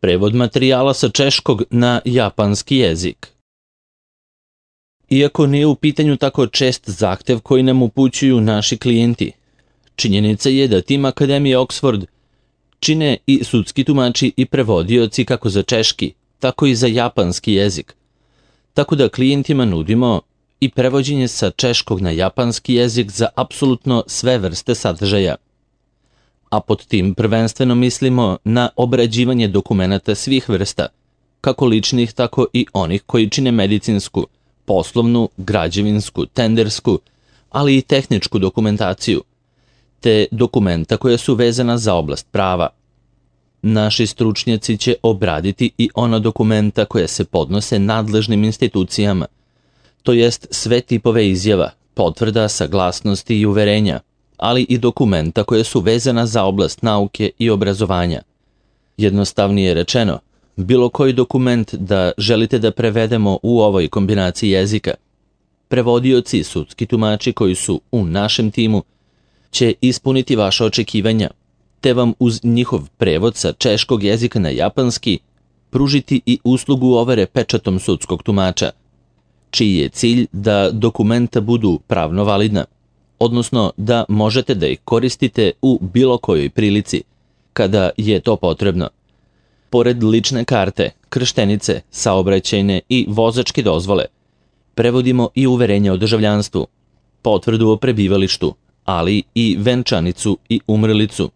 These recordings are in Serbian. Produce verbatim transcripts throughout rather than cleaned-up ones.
Prevod materijala sa češkog na japanski jezik. Iako nije u pitanju tako čest zahtev koji nam upućuju naši klijenti, činjenica je da tim Akademije Oxford čine i sudski tumači i prevodioci kako za češki, tako i za japanski jezik. Tako da klijentima nudimo i prevođenje sa češkog na japanski jezik za apsolutno sve vrste sadržaja. A pod tim prvenstveno mislimo na obrađivanje dokumenata svih vrsta, kako ličnih, tako i onih koji čine medicinsku, poslovnu, građevinsku, tendersku, ali i tehničku dokumentaciju, te dokumenta koja su vezana za oblast prava. Naši stručnjaci će obraditi i ona dokumenta koja se podnose nadležnim institucijama, to jest sve tipove izjava, potvrda, saglasnosti i uverenja, ali i dokumenta koje su vezana za oblast nauke i obrazovanja. Jednostavnije rečeno, bilo koji dokument da želite da prevedemo u ovoj kombinaciji jezika, prevodioci i sudski tumači koji su u našem timu će ispuniti vaše očekivanja, te vam uz njihov prevod sa češkog jezika na japanski pružiti i uslugu overe pečatom sudskog tumača, čiji je cilj da dokumenta budu pravno validna, odnosno da možete da ih koristite u bilo kojoj prilici, kada je to potrebno. Pored lične karte, krštenice, saobraćajne i vozačke dozvole, prevodimo i uverenje o državljanstvu, potvrdu o prebivalištu, ali i venčanicu i umrlicu.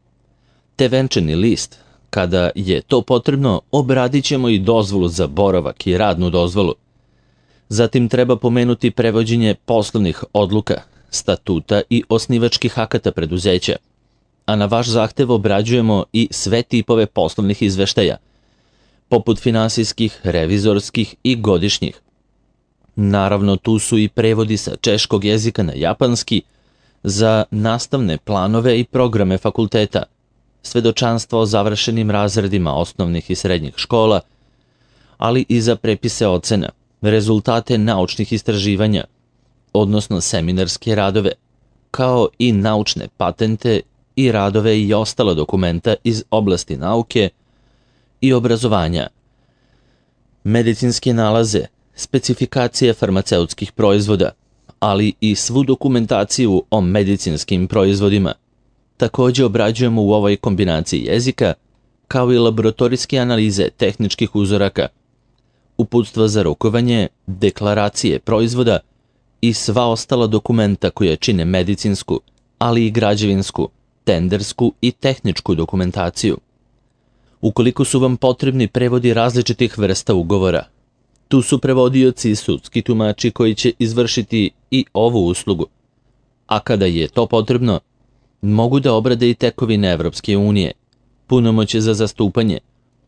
Te venčani list, kada je to potrebno, obradit ćemo i dozvolu za boravak i radnu dozvolu. Zatim treba pomenuti prevođenje poslovnih odluka, statuta i osnivačkih akata preduzeća, a na vaš zahtev obrađujemo i sve tipove poslovnih izveštaja, poput finansijskih, revizorskih i godišnjih. Naravno, tu su i prevodi sa češkog jezika na japanski za nastavne planove i programe fakulteta, svedočanstva o završenim razredima osnovnih i srednjih škola, ali i za prepise ocena, rezultate naučnih istraživanja, odnosno seminarske radove, kao i naučne patente i radove i ostala dokumenta iz oblasti nauke i obrazovanja, medicinske nalaze, specifikacije farmaceutskih proizvoda, ali i svu dokumentaciju o medicinskim proizvodima. Također obrađujemo u ovoj kombinaciji jezika, kao i laboratorijske analize tehničkih uzoraka, uputstva za rukovanje, deklaracije proizvoda i sva ostala dokumenta koja čine medicinsku, ali i građevinsku, tendersku i tehničku dokumentaciju. Ukoliko su vam potrebni prevodi različitih vrsta ugovora, tu su prevodioci i sudski tumači koji će izvršiti i ovu uslugu, a kada je to potrebno, mogu da obrade i tekovine Evropske unije, punomoćje za zastupanje,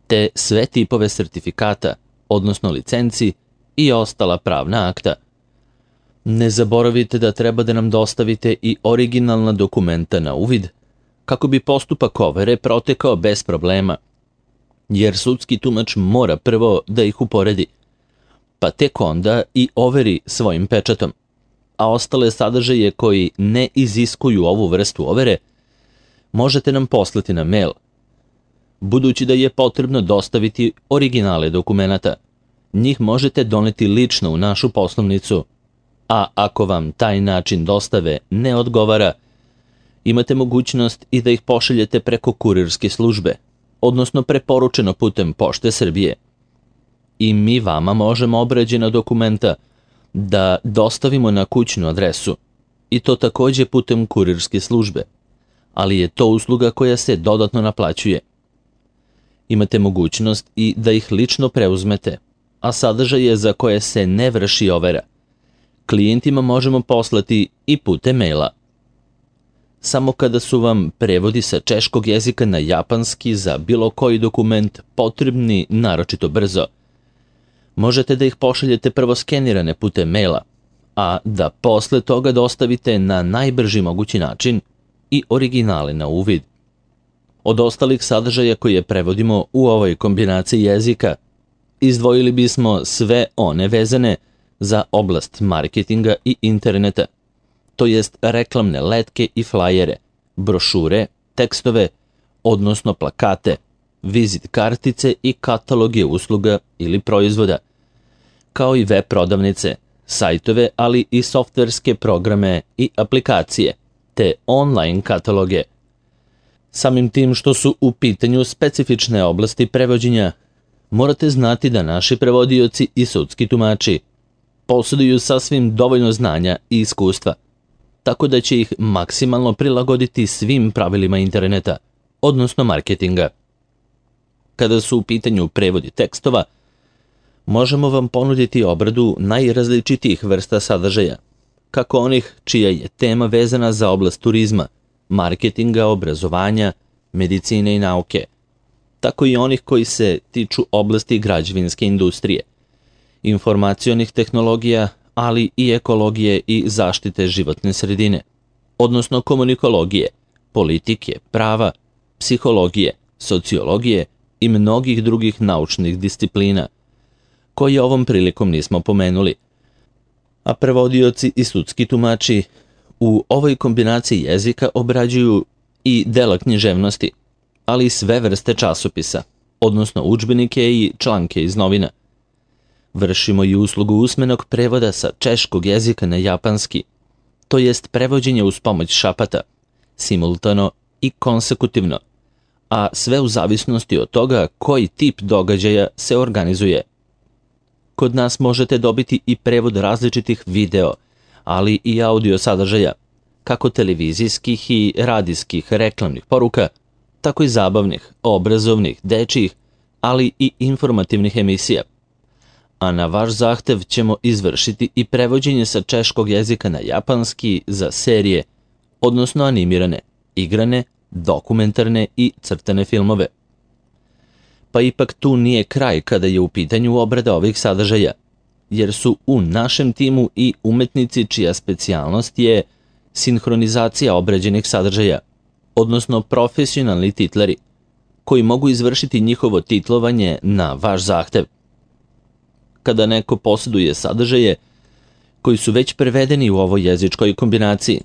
te sve tipove sertifikata, odnosno licenci i ostala pravna akta. Ne zaboravite da treba da nam dostavite i originalna dokumenta na uvid, kako bi postupak overe protekao bez problema, jer sudski tumač mora prvo da ih uporedi, pa tek onda i overi svojim pečatom, a ostale sadržaje koji ne iziskuju ovu vrstu overe možete nam poslati na mail. Budući da je potrebno dostaviti originale dokumenata, njih možete doneti lično u našu poslovnicu, a ako vam taj način dostave ne odgovara, imate mogućnost i da ih pošaljete preko kurirske službe, odnosno preporučeno putem Pošte Srbije. I mi vama možemo obrađena dokumenta da dostavimo na kućnu adresu, i to također putem kurirske službe, ali je to usluga koja se dodatno naplaćuje. Imate mogućnost i da ih lično preuzmete, a sadržaje za koje se ne vrši overa klijentima možemo poslati i putem maila. Samo kada su vam prevodi sa češkog jezika na japanski za bilo koji dokument potrebni naročito brzo, možete da ih pošaljete prvo skenirane putem maila, a da posle toga dostavite na najbrži mogući način i originale na uvid. Od ostalih sadržaja koje prevodimo u ovoj kombinaciji jezika, izdvojili bismo sve one vezane za oblast marketinga i interneta, to jest reklamne letke i flajere, brošure, tekstove, odnosno plakate, vizit kartice i kataloge usluga ili proizvoda, kao i web prodavnice, sajtove, ali i softverske programe i aplikacije, te online kataloge. Samim tim što su u pitanju specifične oblasti prevođenja, morate znati da naši prevodioci i sudski tumači posjeduju sasvim dovoljno znanja i iskustva, tako da će ih maksimalno prilagoditi svim pravilima interneta, odnosno marketinga. Kada su u pitanju prevodi tekstova, možemo vam ponuditi obradu najrazličitijih vrsta sadržaja, kako onih čija je tema vezana za oblast turizma, marketinga, obrazovanja, medicine i nauke, tako i onih koji se tiču oblasti građevinske industrije, informacionih tehnologija, ali i ekologije i zaštite životne sredine, odnosno komunikologije, politike, prava, psihologije, sociologije i mnogih drugih naučnih disciplina, koje ovom prilikom nismo pomenuli. A prevodioci i sudski tumači u ovoj kombinaciji jezika obrađuju i dela književnosti, ali i sve vrste časopisa, odnosno udžbenike i članke iz novina. Vršimo i uslugu usmenog prevoda sa češkog jezika na japanski, to jest prevođenje uz pomoć šapata, simultano i konsekutivno, a sve u zavisnosti od toga koji tip događaja se organizuje. Kod nas možete dobiti i prevod različitih video, ali i audio sadržaja, kako televizijskih i radijskih reklamnih poruka, tako i zabavnih, obrazovnih, dečjih, ali i informativnih emisija. A na vaš zahtev ćemo izvršiti i prevođenje sa češkog jezika na japanski za serije, odnosno animirane, igrane, dokumentarne i crtane filmove. Pa ipak tu nije kraj kada je u pitanju obrada ovih sadržaja, jer su u našem timu i umetnici čija specijalnost je sinhronizacija obrađenih sadržaja, odnosno profesionalni titlari, koji mogu izvršiti njihovo titlovanje na vaš zahtev. Kada neko posjeduje sadržaje koji su već prevedeni u ovoj jezičkoj kombinaciji,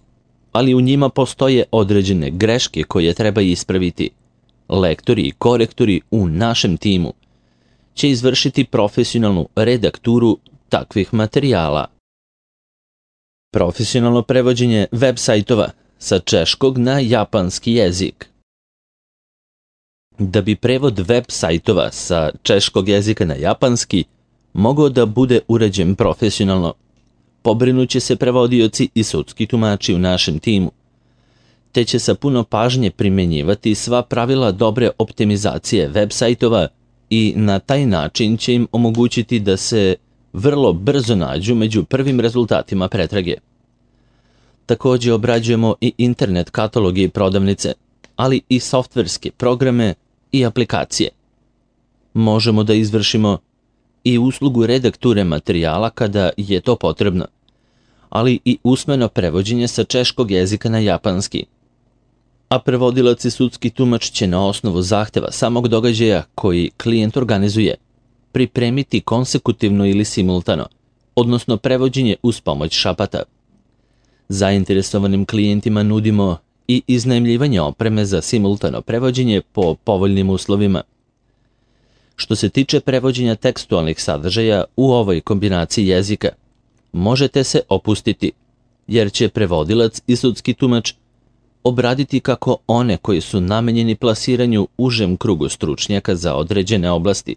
ali u njima postoje određene greške koje treba ispraviti, lektori i korektori u našem timu će izvršiti profesionalnu redakturu takvih materijala. Profesionalno prevođenje web sajtova sa češkog na japanski jezik. Da bi prevod web sajtova sa češkog jezika na japanski mogao da bude urađen profesionalno, pobrinuće se prevodioci i sudski tumači u našem timu, te će sa puno pažnje primjenjivati sva pravila dobre optimizacije web sajtova i na taj način će im omogućiti da se vrlo brzo nađu među prvim rezultatima pretrage. Također obrađujemo i internet kataloge i prodavnice, ali i softverske programe i aplikacije. Možemo da izvršimo i uslugu redakture materijala kada je to potrebno, ali i usmeno prevođenje sa češkog jezika na japanski. A prevodilac i sudski tumač će na osnovu zahteva samog događaja koji klijent organizuje pripremiti konsekutivno ili simultano, odnosno prevođenje uz pomoć šapata. Zainteresovanim klijentima nudimo i iznajmljivanje opreme za simultano prevođenje po povoljnim uslovima. Što se tiče prevođenja tekstualnih sadržaja u ovoj kombinaciji jezika, možete se opustiti, jer će prevodilac i sudski tumač obraditi kako one koji su namenjeni plasiranju užem krugu stručnjaka za određene oblasti,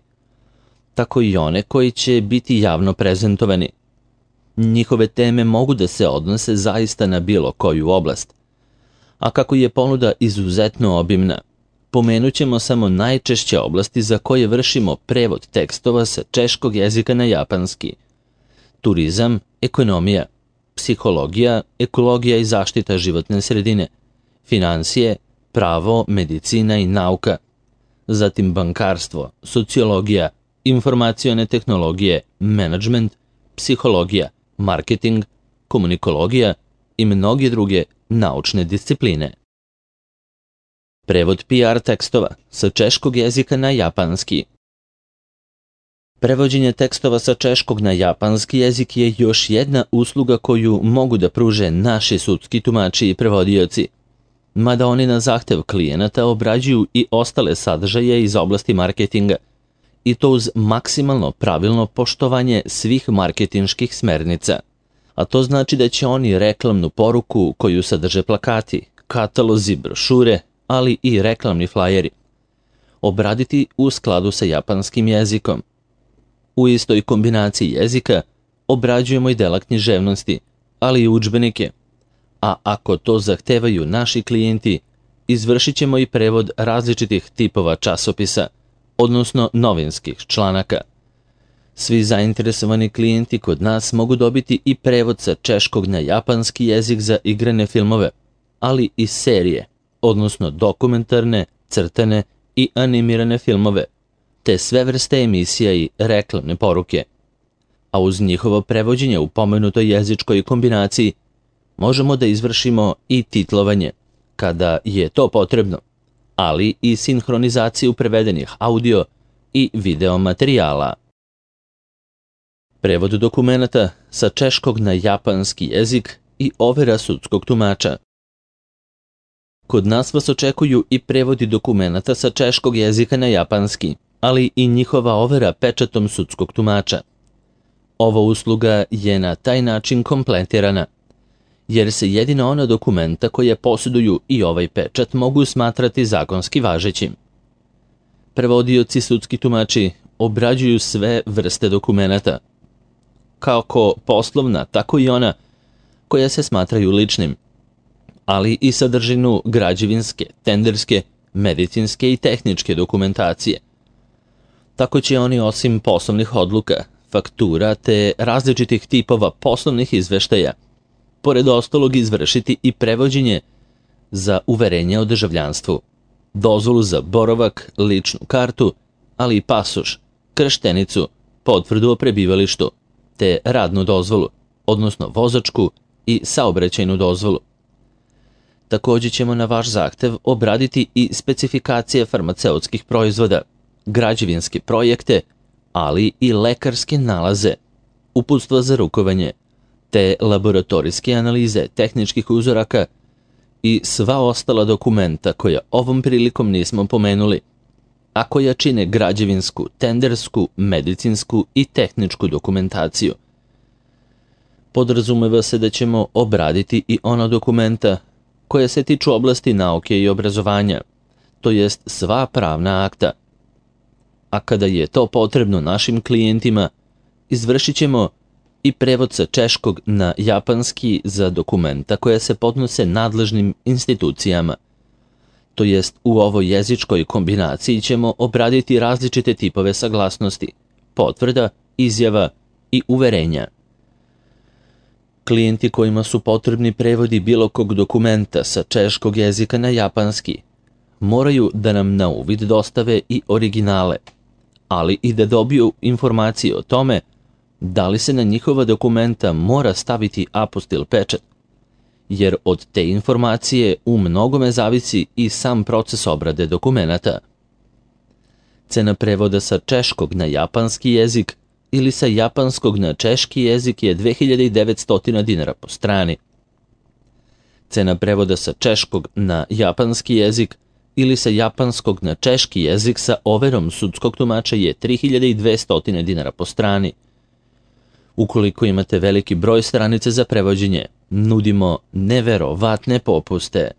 tako i one koji će biti javno prezentovani. Njihove teme mogu da se odnose zaista na bilo koju oblast, a kako je ponuda izuzetno obimna, pomenut ćemo samo najčešće oblasti za koje vršimo prevod tekstova sa češkog jezika na japanski: turizam, ekonomija, psihologija, ekologija i zaštita životne sredine, finansije, pravo, medicina i nauka, zatim bankarstvo, sociologija, informacione tehnologije, menadžment, psihologija, marketing, komunikologija i mnoge druge naučne discipline. Prevod P R tekstova sa češkog jezika na japanski. Prevođenje tekstova sa češkog na japanski jezik je još jedna usluga koju mogu da pruže naši sudski tumači i prevodioci. mada oni na zahtev klijenata obrađuju i ostale sadržaje iz oblasti marketinga, i to uz maksimalno pravilno poštovanje svih marketinških smernica. A to znači da će oni reklamnu poruku koju sadrže plakati, katalozi, brošure, ali i reklamni flajeri, obraditi u skladu sa japanskim jezikom. U istoj kombinaciji jezika obrađujemo i dela književnosti, ali i udžbenike, a ako to zahtevaju naši klijenti, izvršit ćemo i prevod različitih tipova časopisa, odnosno novinskih članaka. Svi zainteresovani klijenti kod nas mogu dobiti i prevod sa češkog na japanski jezik za igrane filmove, ali i serije, odnosno dokumentarne, crtane i animirane filmove, te sve vrste emisija i reklamne poruke. A uz njihovo prevođenje u pomenutoj jezičkoj kombinaciji možemo da izvršimo i titlovanje, kada je to potrebno, ali i sinhronizaciju prevedenih audio i video materijala. Prevod dokumenata sa češkog na japanski jezik i overa sudskog tumača. Kod nas vas očekuju i prevodi dokumenata sa češkog jezika na japanski, ali i njihova overa pečatom sudskog tumača. Ova usluga je na taj način kompletirana, jer se jedino ona dokumenta koje posjeduju i ovaj pečat mogu smatrati zakonski važećim. Prevodioci sudski tumači obrađuju sve vrste dokumenata, kako poslovna, tako i ona koja se smatraju ličnim, ali i sadržinu građevinske, tenderske, medicinske i tehničke dokumentacije. Tako će oni osim poslovnih odluka, faktura te različitih tipova poslovnih izveštaja, pored ostalog izvršiti i prevođenje za uverenje o državljanstvu, dozvolu za boravak, ličnu kartu, ali i pasoš, krštenicu, potvrdu o prebivalištu, te radnu dozvolu, odnosno vozačku i saobraćajnu dozvolu. Također ćemo na vaš zahtev obraditi i specifikacije farmaceutskih proizvoda, građevinske projekte, ali i lekarske nalaze, uputstva za rukovanje, te laboratorijske analize tehničkih uzoraka i sva ostala dokumenta koja ovom prilikom nismo pomenuli, a koja čine građevinsku, tendersku, medicinsku i tehničku dokumentaciju. Podrazumeva se da ćemo obraditi i ona dokumenta koja se tiču oblasti nauke i obrazovanja, to jest sva pravna akta. A kada je to potrebno našim klijentima, izvršit ćemo i prevod sa češkog na japanski za dokumenta koja se podnose nadležnim institucijama. To jest u ovoj jezičkoj kombinaciji ćemo obraditi različite tipove saglasnosti, potvrda, izjava i uverenja. Klijenti kojima su potrebni prevodi bilo kog dokumenta sa češkog jezika na japanski moraju da nam na uvid dostave i originale, ali i da dobiju informacije o tome da li se na njihova dokumenta mora staviti apostil pečat, jer od te informacije u mnogome zavisi i sam proces obrade dokumenata. Cena prevoda sa češkog na japanski jezik ili sa japanskog na češki jezik je dve hiljade devetsto dinara po strani. Cena prevoda sa češkog na japanski jezik ili sa japanskog na češki jezik sa overom sudskog tumača je tri hiljade dvesta dinara po strani. Ukoliko imate veliki broj stranice za prevođenje, nudimo neverovatne popuste.